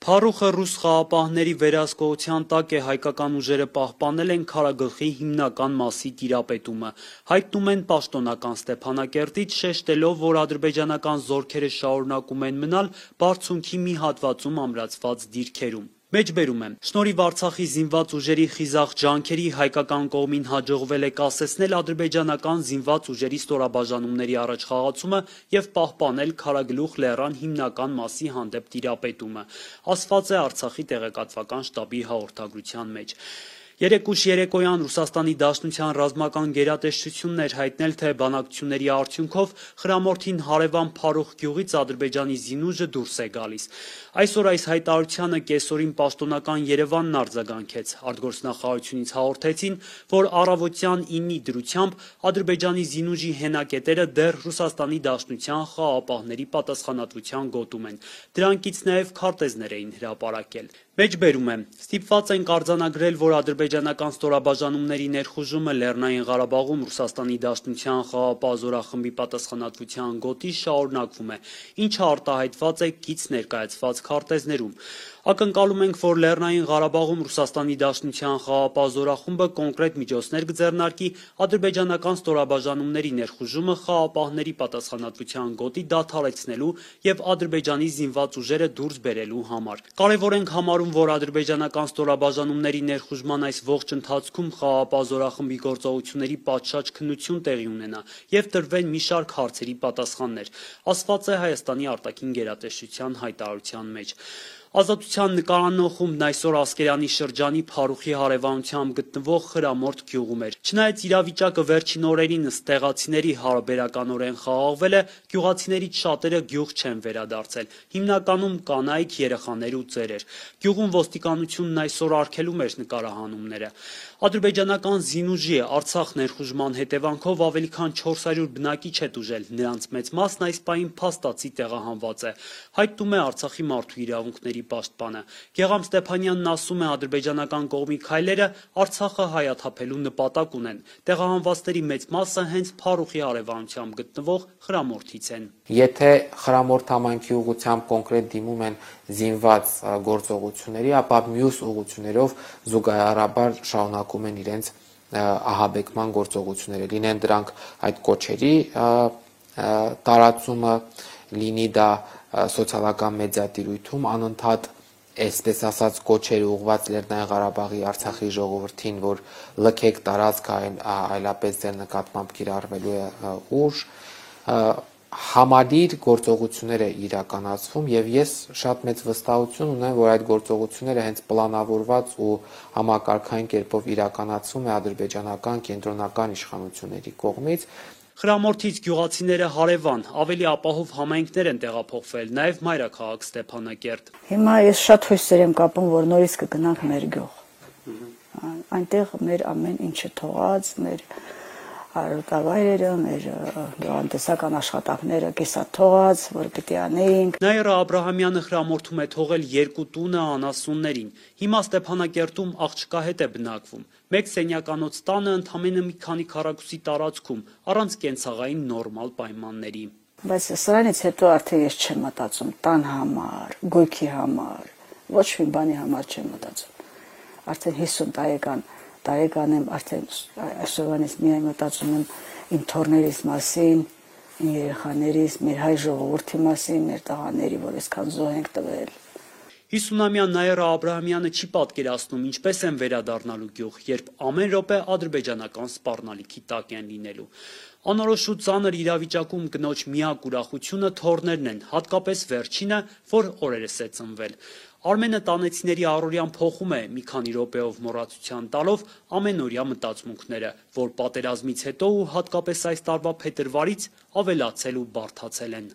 Փառուխը ռուս խաղապահների վերահսկողության տակ է, հայկական ուժերը պահպանել են քարագլխի հիմնական մասի տիրապետումը։ Հայտնում են պաշտոնական Ստեփանակերտից, շեշտելով, որ ադրբեջանական զորքերը շարունակում են մնալ բարձունքի մի հատվածում ամրացված դիրքերում։ Մեջբերում եմ, շնորհիվ Արցախի զինված ուժերի խիզախ ջանքերի հայկական կողմին հաջողվել է կասեցնել ադրբեջանական զինված ուժերի ստորաբաժանումների առաջխաղացումը եւ պահպանել Քարագլուխ լեռան հիմնական մասի հանդեպ տիրապետումը, ասված է Արցախի տեղեկատվական շտաբի հաղորդագրության մեջ։ Երեկուշ երեկոյան Ռուսաստանի Դաշնության ռազմական գերատեսչությունն էր հայտնել, թե բանակցությունների արդյունքով խրամորդին հարևան Փարուխ գյուղից Ադրբեջանի զինուժը դուրս է գալիս։ Այսօր այս հայտարարությանը կեսօրին պաշտոնական Երևանն արձագանքեց։ Արտգործնախարարությունից հաղորդեցին, որ առավոտյան 9-ի դրությամբ Ադրբեջանի զինուժի հենակետերը դեռ Ռուսաստանի Դաշնության խաղապահների պատասխանատվության գոտում են։ Դրանքից նաև քարտեզներ էին հրապարակել։ Մեջբերում եմ, ստիպված ենք արձանագրել, որ ադրբեջանական ստորաբաժանումների ներխուժումը Լեռնային Ղարաբաղում Ռուսաստանի Դաշնության խաղապահ զորախմբի պատասխանատվության գոտի շարունակվում է, ինչը արտահայտված է կից ներկայացված քարտեզներում։ Ակնկալում ենք, որ Լեռնային Ղարաբաղում Ռուսաստանի Դաշնության խաղապահ զորախումբը կոնկրետ միջոցներ կձեռնարկի ադրբեջանական ստորաբաժանումների ներխուժումը խաղապահների պատասխանատվության գոտի դադարեցնելու եւ Ադրբեջանի զինված ուժերը դուրս բերելու համար։ Կարևոր ենք համարում, որ ադրբեջանական ստորաբաժանումների ներխուժման այս ողջ ընթացքում խաղապահ զորախմբի գործողությունների պատշաճ քննություն տեղի ունենա եւ տրվեն մի շարք հարցերի պատասխաններ, ասված է Հայաստանի արտաքին գերատեսչության հայտարարության մեջ։ Ազատության նկարանոխումն այսօր Ասկերանի շրջանի Փարուխի հարևանությամբ գտնվող Խրամորդ գյուղում էր։ Չնայած իրավիճակը վերջին օրերին ըստ տեղացիների հարաբերականորեն խաղաղվել է, գյուղացիներից շատերը գյուղ չեն վերադարձել, հիմնականում կանայք, երեխաներ ու ծերեր։ Գյուղում ոստիկանությունն այսօր արգելում էր նկարահանումները։ Ադրբեջանական զինուժի Արցախ ներխուժման հետևանքով ավելի քան 400 բնակիչ է տուժել, նրանց մեծ մասն այս պահին փաստացի տեղահանված է, հայտնում է Արցախի մարդու իրավունքների պաշտպանը։ Գեգամ Ստեփանյանն ասում է, ադրբեջանական կողմի քայլերը Արցախը հայաթափելու նպատակ ունեն։ Տեղահանվածների մեծ մասը հենց Փարուխի հարևանությամբ գտնվող Խրամորդից են։ Եթե Խրամորդ համայնքի ուղղությամբ կոնկրետ դիմում են զինված գործողությունների, ապա մյուս ուղղություններով զուգահեռաբար շարունակում են իրենց ահաբեկման գործողությունները, լինեն դրանք այդ կոչերի տարածումը, լինի դա սոցիալական մեդիատիրույթում անընդհատ այսպես ասած կոչեր ուղղված Լեռնային Ղարաբաղի Արցախի ժողովրդին, որ լքեք տարածքը, այլապես ձեր նկատմամբ կիրառվելու է ուժ, համալիր գործողություններ է իրականացվում եւ ես շատ մեծ վստահություն ունեմ, որ այդ գործողությունները հենց պլանավորված ու համակարգային կերպով իրականացվում է ադրբեջանական կենտրոնական իշխանությունների կողմից։ Խրամորդից գյուղացիները հարևան, ավելի ապահով համայնքներ են տեղափոխվել, նաև մայրաքաղաք Ստեփանակերտ։ Հիմա ես շատ հույսեր եմ կապում, որ նորից կգնանք մեր գյուղ։ Այնտեղ մեր ամեն ինչը թողած, մեր արոտավայրերը, մեր գյուղատնտեսական աշխատանքները կիսաթողած, որ պիտի անեինք։ Նաիրա Աբրահամյանը Խրամորդում է թողել 2 տունը անասուններին։ Հիմա Ստեփանակերտում աղջկա հետ է բնակվում։ Մեկ սենյականոց տանը ընդամենը մի քանի քառակուսի տարածքում, առանց կենցաղային նորմալ պայմանների։ Բայց սրանից հետո արդեն ես չեմ մտածում տան համար, գույքի համար, ոչ մի բանի համար չեմ մտածում։ Արդեն 50 տարեկան եմ, արդեն այսօրվանից միայն մտածում եմ իմ թոռներիս մասին, իմ երեխաներիս, մեր հայ ժողովրդի մասին, մեր տղաների, որ այսքան զոհ ենք տվել։ 50-ամյա Նաիրա Աբրահամյանը չի պատկերացնում, ինչպես են վերադառնալու գյուղ, երբ ամեն րոպե ադրբեջանական սպառնալիքի տակ են լինելու։ Անորոշ ու ծանր իրավիճակում կնոջ միակ ուրախությունը թոռներն են, հատկապես վերջինը, որ օրերս է ծնվել։ Արմենը տանեցիների առօրյան փոխում է, մի քանի րոպեով մոռացության տալով ամենօրյա մտածմունքները, որ պատերազմից հետո ու հատկապես այս տարվա փետրվարից ավելացել ու բարդացել են։